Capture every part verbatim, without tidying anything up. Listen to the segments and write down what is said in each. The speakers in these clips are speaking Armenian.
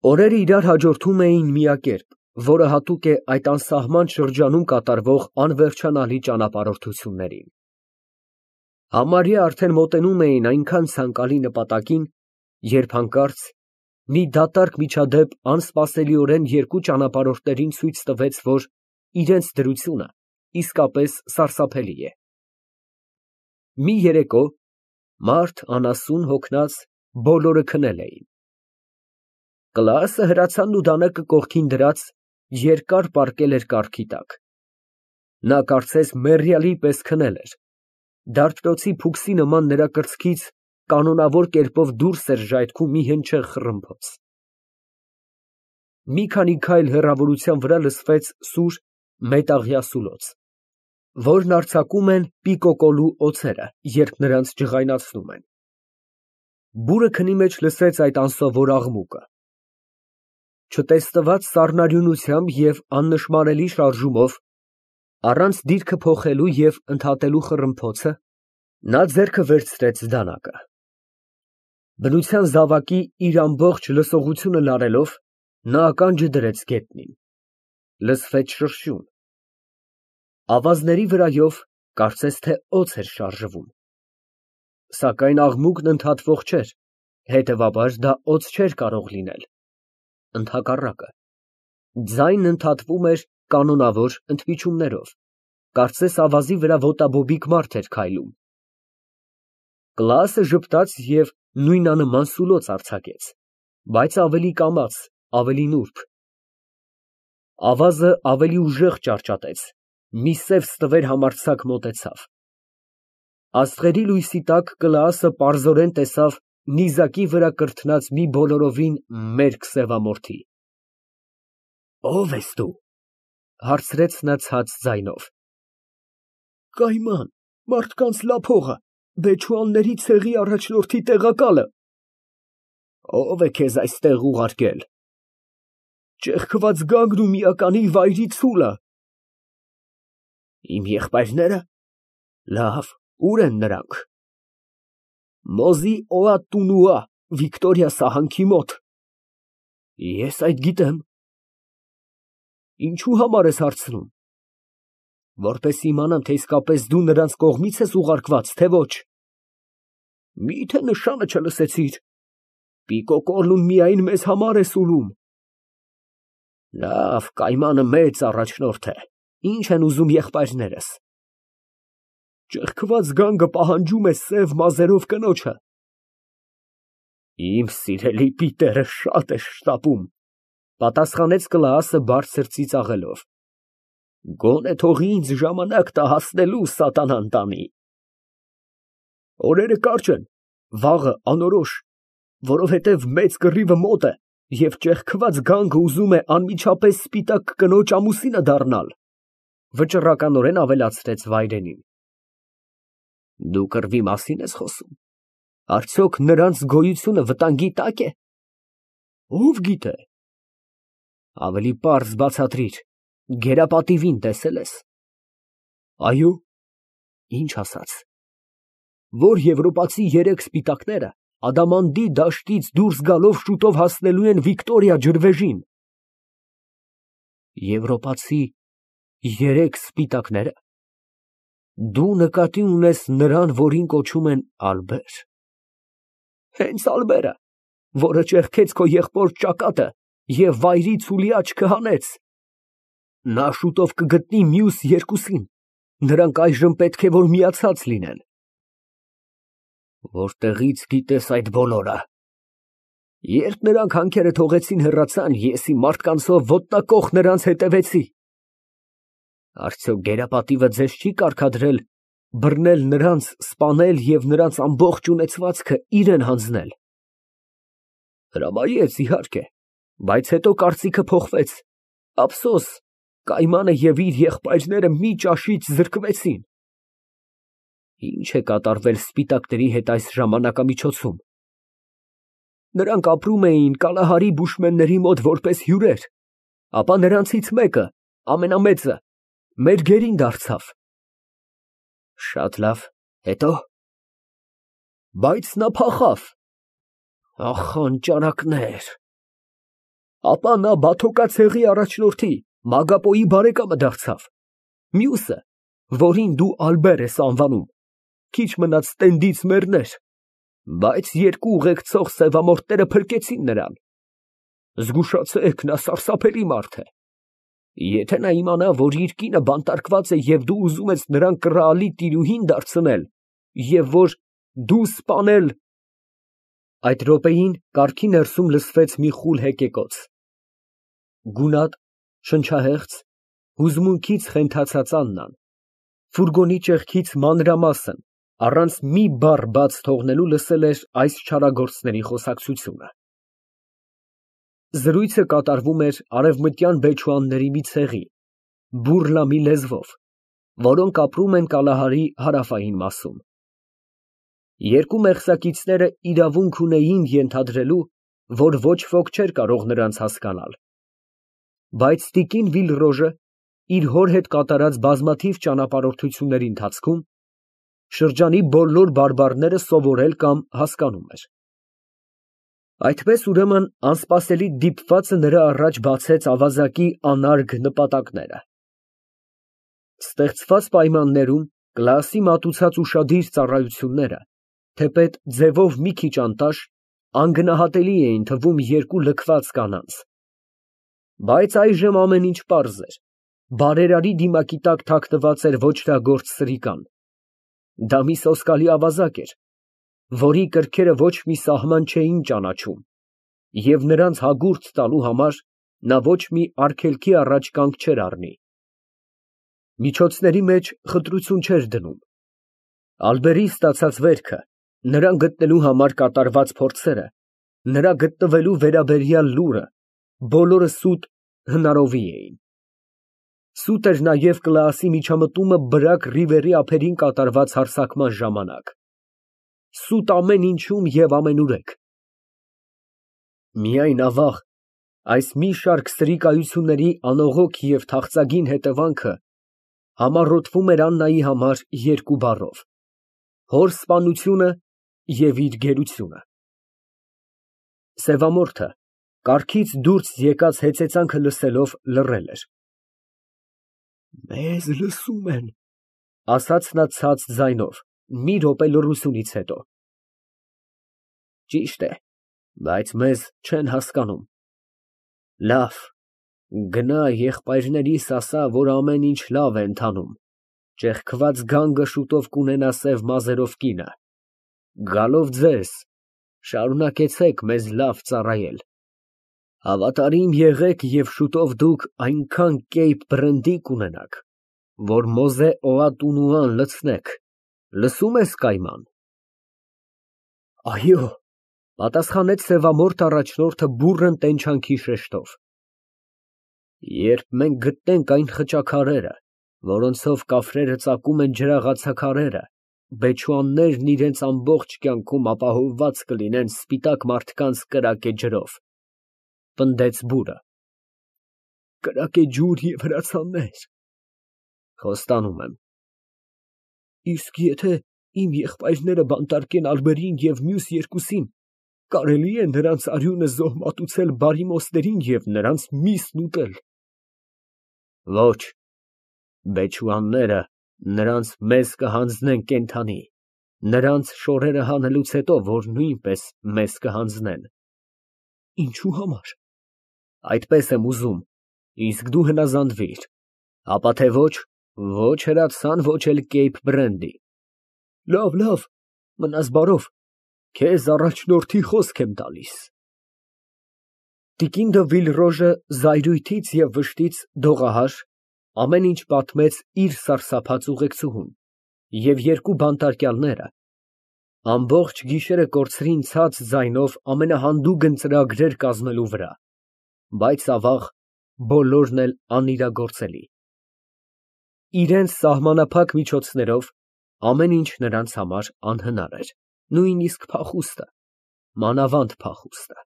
Օրերը իրար հաջորդում էին միակերպ, որը հատուկ է այդ անսահման շրջանում կատարվող անվերջանալի ճանապարհորդություններին։ Համարյա արդեն մոտենում էին այնքան ցանկալի նպատակին, երբ հանկարծ մի դատարկ միջադեպ անսպասելիորեն երկու ճանապարհորդներին ցույց տվեց, որ իրենց դրությունը իսկապես սարսափելի է։ Մի երեկո մարդ, անասուն, հոգնած, բոլորը քնել էին։ Կլասը հրացանն ու դանակը կողքին դրած, երկար պառկել էր կառքի տակ։ Նա կարծես մեռյալի պես քնել էր, դարբնոցի փուքսի նման նրա կրծքից կանոնավոր կերպով դուրս էր ժայթքում մի հնչեղ խռմփոց։ Մի քանի քայլ հեռավորության վրա լսվեց սուր մետաղյա սուլոց, որն արձակում են պիկոկոլու օձերը, երբ նրանց ջղայնացնում են։ Բուրը քնի մեջ լսեց այդ անսովոր աղմուկը։ Չտեսնված սառնարյունությամբ և աննշմարելի շարժումով, առանց դիրքը փոխելու և ընդհատելու խռմփոցը, նա ձեռքը վերցրեց դանակը։ Բնության զավակի իր ամբողջ լսողությունը լարելով, նա ականջը դրեց գետնին։ Լսվեց շրշյուն։ Ավազների վրայով կարծես թե օձ էր շարժվում։ Սակայն աղմուկն ընդհատվող չէր, հետևաբար դա օձ չէր կարող լինել։ Ընդհակառակը, ձայնն ընդհատվում էր կանոնավոր ընդմիջումներով, կարծես ավազի վրա ոտաբոբիկ մարդ էր քայլում։ Կլասը ժպտաց և նույնանման սուլոց արձակեց, բայց ավելի կամաց, ավելի նուրբ։ Ավազը ավելի ուժեղ ճարճատեց, մի սև ստվեր համարձակ մոտեցավ։ Աստղերի լույսի տակ Կլաասը պարզորեն տեսավ նիզակի վրա կրթնած մի բոլորովին մերկ սևամորթի։ ֊ Ո՞վ ես դու, ֊ հարցրեց նա ցած ձայնով։ ֊ Կայման, մարդկանց լափողը, բեչուանների ցեղի առաջնորդի տեղակալը։ ֊ Ո՞վ է քեզ այստեղ ուղարկել։ ֊ Ճեղքված գանգն ու միականի վայրի ցուլը։ ֊ Իմ եղբայրնե՞րը։ Լավ, ո՞ւր են նրանք։ ֊ Մոզի օատունուա, Վիկտորիա սահանքի մոտ։ ֊ Ես այդ գիտեմ։ ֊ Ինչո՞ւ համար ես հարցնում։ ֊ Որպես իմանամ, թե իսկապես դու նրանց կողմի՞ց ես ուղարկված, թե ոչ։ ֊ Մի՞թե նշանը չլսեցիր։ Պիկոկոլուն միայն մեզ համար է սուլում։ ֊ Լավ, կայմանը մեծ առաջնորդ է, ինչ են ուզում եղբայրներս։ ֊ Ճեղքված գանգը պահանջում է սև մազերով կնոջը։ ֊ Իմ սիրելի պիտերը շատ է շտապում, ֊ պատասխանեց Կլաասը բարձր ծիծաղելով։ ֊ Գոնե թող ինձ ժամանակ տա հասնելու սատանան տանի։ Օրերը կարճ են, վաղը անորոշ, որովհետև մեծ կռիվը մոտ է, և ճեղքված գանգը ուզում է անմիջապես սպիտակ կնոջ ամուսինը դառնալ, ֊ վճռականորեն ավելացրեց վայրենին։ ֊ Դու կռվի մասի՞ն ես խոսում, արդյոք նրանց գոյությունը վտանգի տա՞կ է։ ֊ Ո՞վ գիտե։ ֊ Ավելի պարզ բացատրիր, գերապատիվին տեսե՞լ ես։ ֊ Այո։ ֊ Ինչ ասաց։ ֊ Որ եվրոպացի երեք սպիտակները Ադամանդի դաշտից դուրս գալով շուտով հասնելու են Վիկտորիա ջրվեժին։ ֊ Եվրոպացի երեք սպիտակնե՞րը։ Դու նկատի ունես նրան, որին կոչում են Ալբեր։ ֊ Հենց Ալբերը, որը ճեղքեց քո եղբոր ճակատը և վայրի ցուլի աչքը հանեց։ Նա շուտով կգտնի մյուս երկուսին, նրանք այժմ պետք է որ միացած լինեն։ ֊ Որտեղի՞ց գիտես այդ բոլորը։ ֊ Երբ նրանք հանքերը թողեցին հեռացան, ես իմ մարդկանցով ոտնակոխ նրանց հետևեցի։ ֊ Արդյոք գերապատիվը ձեզ չի կարգադրել բռնել նրանց, սպանել և նրանց ամբողջ ունեցվածքը իրան հանձնել։ ֊ Հրամայեց, իհարկե, բայց հետո կարծիքը փոխվեց, ափսոս, կայմանը և իր եղբայրները մի ճաշից զրկվեցին։ ֊ Ի՞նչ է կատարվել սպիտակների հետ այս ժամանակամիջոցում։ ֊ Նրանք ապրում էին Կալահարի բուշմենների մոտ որպես հյուրեր, ապա նրանցից մեկը, ամենամեծը, մեր գերին դարձավ։ ֊ Շատ լավ, հետո։ ֊ Բայց նա փախավ։ Ախ, անճարակներ։ Ապա նա Բաթոկացեղի առաջնորդի Մագապոյի բարեկամը դարձավ, մյուսը, որին դու Ալբեր ես անվանում, քիչ մնաց տենդից մեռներ, բայց երկու ուղեկցող սևամորթները փրկեցին նրան։ Զգուշացեք, նա սարսափելի մարդ է, եթե նա իմանա, որ իր կինը բանտարկված է և դու ուզում ես նրան կռահալի տիրուհին դարձնել և որ դու սպանել… Այդ րոպեին կառքի ներսում լսվեց մի խուլ հեկեկոց, գունատ, շնչահեղձ, հուզմունքից խենթացած Աննան, ֆուրգոնի ճեղքից մանրամասն, առանց մի բառ բաց թողնելու լսել էր այս չարագործների խոսակցությունը։ Զրույցը կատարվում էր արևմտյան բեչուանների մի ցեղի, բուռլամի լեզվով, որոնք ապրում են Կալահարի հարավային մասում։ Երկու մեղսակիցները իրավունք ունեին ենթադրելու, որ ոչ ոք չէր կարող նրանց հասկանալ, բայց տիկին Վիլրոժը իր հոր հետ կատարած բազմաթիվ ճանապարհորդությունների ընթացքում շրջանի բոլոր բարբառները սովորել կամ հասկանում էր։ Այդպես, ուրեմն, անսպասելի դիպվածը նրա առաջ բացեց ավազակի անարգ նպատակները։ Ստեղծված պայմաններում Կլասի մատուցած ուշադիր ծառայությունները, թեպետ ձևով մի քիչ անտաշ, անգնահատելի էին թվում երկու լքված կանանց։ Բայց այժմ ամեն ինչ պարզ էր, բարերարի դիմակի տակ թաքնված էր ոճրագործ Սրիկան։ Դա մի սոսկալի ավազակ էր, որի կրքերը ոչ մի սահման չէին ճանաչում, և նրանց հագուրդ տալու համար նա ոչ մի արգելքի առաջ կանգ չէր առնի։ Միջոցների մեջ խտրություն չէր դնում։ Ալբերի ստացած վերքը, նրան գտնելու համար կատարված փորձերը, նրա գտնվելու վերաբերյալ լուրը, բոլորը սուտ հնարովի էին։ Սուտ էր նաև Կլաասի միջամտումը բրակ Ռիվերի ափերին կատարված հարձակման ժամանակ։ Սուտ ամեն ինչում և ամենուրեք։ Միայն ավաղ, այս մի շարք սրիկայությունների անողոք և թախծագին հետևանքը համառոթվում էր Աննայի համար երկու բառով. հոր սպանությունը և իր գերությունը։ Սևամորթը, կառքից դուրս եկած հեծեծանքը լսելով, լռել էր։ «Մեզ լսում են», ֊ ասաց նա ցած ձայնով, մի րոպե լռությունից հետո։ Ճիշտ է, բայց մեզ չեն հասկանում։ Լավ, գնա եղբայրներիս ասա, որ ամեն ինչ լավ է ընթանում, ճեղքված գանգը շուտով կունենա սև մազերով կինը։ Գալով ձեզ, շարունակեցեք մեզ լավ ծառայել։ Հավատարիմ եղեք և շուտով դուք այնքան կեյփ բրենդի կունենաք, որ Մոզե Օատունուան լցնեք, լսո՞ւմ ես, Կայման։ Այո, ֊ պատասխանեց սևամորթ առաջնորդը բուռն տենչանքի շեշտով։ Երբ մենք գտնենք այն խճաքարերը, որոնցով կաֆրերը ծակում են ջրաղացաքարերը, բեչուաններն իրենց ամբողջ կյանքում ապահովված կլինեն սպիտակ մարդկանց կրակե ջրով, ֊ պնդեց բուրը։ Կրակե ջուր և հրացաններ։ Խոստանում եմ։ Իսկ եթե իմ եղբայրները բանտարկեն Ալբերին և մյուս երկուսին, կարելի է նրանց արյունը զոհ մատուցել բարիմոստերին և նրանց միսն ուտել։ Ոչ, բեչուանները նրանց մեզ կհանձնեն կենդանի, նրանց շորերը հանելուց հետո, որ նույնպես մեզ կհանձնեն։ Ինչու համար։ Այդպես եմ ուզում, իսկ դու հնազանդվիր, ապա թե ոչ, ոչ հրացան, ոչ էլ կեյփ բրենդի։ Լավ, լավ, մնաս բարով, քեզ առաջնորդի խոսք եմ տալիս։ Տիկին դը Վիլրոժը զայրույթից և վշտից դողահար ամեն ինչ պատմեց իր սարսափած ուղեկցուհուն, և երկու բանտարկյալները ամբողջ գիշերը կորցրին ցած ձայնով ամենահանդուգն ծրագրեր կազմելու վրա, բայց, ավաղ, բոլորն էլ անիրագործելի։ Իրենց սահմանափակ միջոցներով ամեն ինչ նրանց համար անհնար էր, նույնիսկ փախուստը, մանավանդ փախուստը։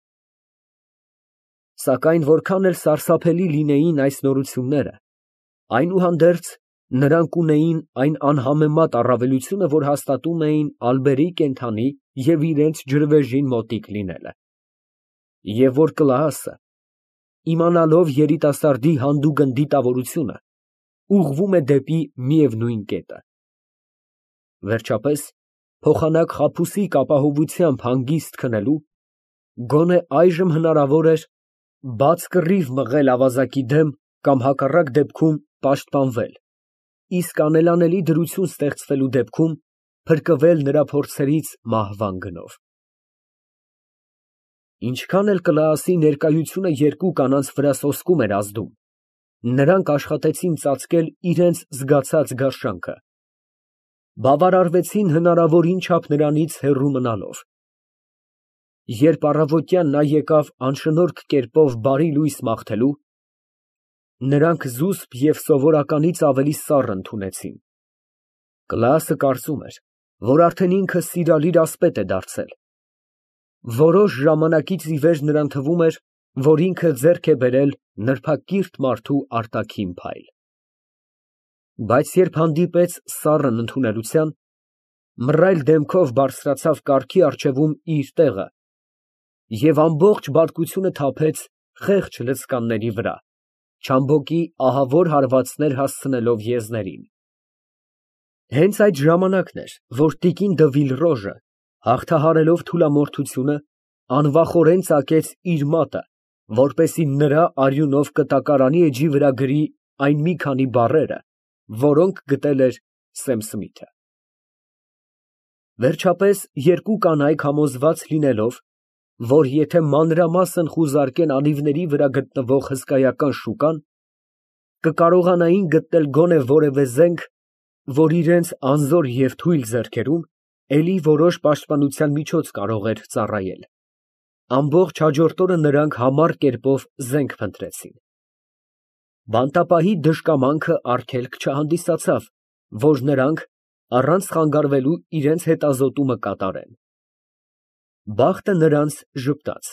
Սակայն որքան էլ սարսափելի լինեին այս նորությունները, այնուհանդերձ նրանք ունեին այն անհամեմատ առավելությունը, որ հաստատում էին Ալբերի կենդանի և իրենց ջրվեժին մոտիկ լինելը, և որ Կլաասը իմանալով երիտասարդի հանդուգն դիտավորությունը, ուղղվում է դեպի միևնույն կետը։ Վերջապես, փոխանակ խաբուսիկ ապահովությամբ հանգիստ քնելու, գոնե այժմ հնարավոր էր բաց կռիվ մղել ավազակի դեմ կամ հակառակ դեպքում պաշտպանվել, իսկ անելանելի դրություն ստեղծվելու դեպքում փրկվել նրա փորձերից մահվան գնով։ Ինչքան էլ Կլաասի ներկայությունը երկու կանանց վրա սոսկում էր ազդում, նրանք աշխատեցին ծածկել իրենց զգացած գարշանքը, բավարարվեցին հնարավորին չափ նրանից հեռու մնալով։ Երբ առավոտյան նա եկավ անշնորհք կերպով բարի լույս մաղթելու, նրանք զուսպ և սովորականից ավելի սառն ընդունեցին։ Կլաասը կարծում էր, որ արդեն ինքը սիրալիր ասպետ է դարձել։ Որոշ ժամանակից ի վեր նրան թվում էր, որ ինքը ձեռք է բերել նրբակիրթ մարդու արտաքին փայլ։ Բայց երբ հանդիպեց սառն ընդունելության, մռայլ դեմքով բարձրացավ կառքի առջևում իր տեղը և ամբողջ բարկությունը թափեց խեղճ լցկանների վրա, չամբոկի ահավոր հարվածներ հասցնելով եզներին։ Հենց այդ ժամանակն էր, որ տիկին դը Վիլրոժը, հաղթահարելով թուլամորթությունը, անվախորեն ծակեց իր մատը, որպեսզի նրա արյունով կտակարանի էջի վրա գրի այն մի քանի բառերը, որոնք գտել էր Սեմ Սմիթը։ Վերջապես երկու կանայք համոզված լինելով, որ եթե մանրամասն խուզարկեն անիվների վրա գտնվող հսկայական շուկան, կկարողանային գտնել գոնե որևէ զենք, որ իրենց անզոր և թույլ ձեռքերում էլի որոշ պաշտպանության միջոց կարող էր ծառայել, ամբողջ հաջորդ օրը նրանք համառ կերպով զենք փնտրեցին։ Բանտապահի դժկամանքը արգելք չհանդիսացավ, որ նրանք առանց խանգարվելու իրենց հետազոտումը կատարեն։ Բախտը նրանց ժպտաց։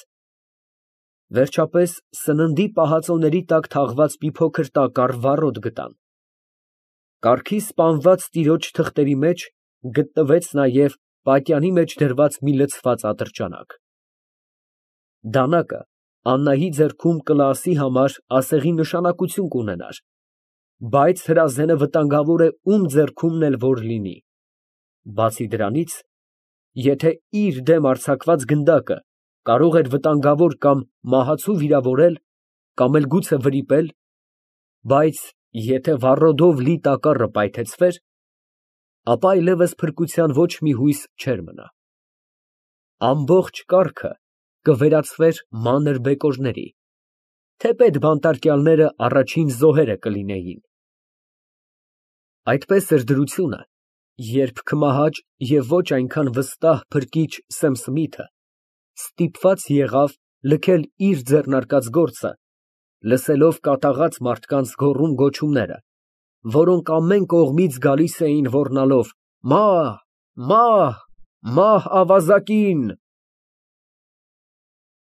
Վերջապես սննդի պահածոների տակ թաղված մի փոքր տակառ վառոդ գտան։ Կառքի սպանված տիրոջ թղթերի մեջ գտնվեց նաև պատյանի մեջ դրված մի լցված ատրճանակ։ Դանակը Աննայի ձեռքում Կլաասի համար ասեղի նշանակություն կունենար, բայց հրազենը վտանգավոր է ում ձեռքումն էլ որ լինի։ Բացի դրանից, եթե իր դեմ արձակված գնդակը կարող էր վտանգավոր կամ մահացու վիրավորել, կամ էլ գուցե վրիպել, բայց եթե վառոդով լի տակառը պայթեցվեր, ապա այլևս փրկության ոչ մի հույս չէր մնա։ Ամբողջ կառքը կվերածվեր մանր բեկորների, թեպետ բանտարկյալները առաջին զոհերը կլինեին։ Այդպես էր դրությունը, երբ քմահաճ և ոչ այնքան վստահ փրկիչ Սեմ Սմիթը ստիպված եղավ լքել իր ձեռնարկած գործը, լսելով կատաղած մարդկանց գոռում֊գոչումները, որոնք ամեն կողմից գալիս էին ոռնալով. «Մահ, մահ, մահ ավազակին»։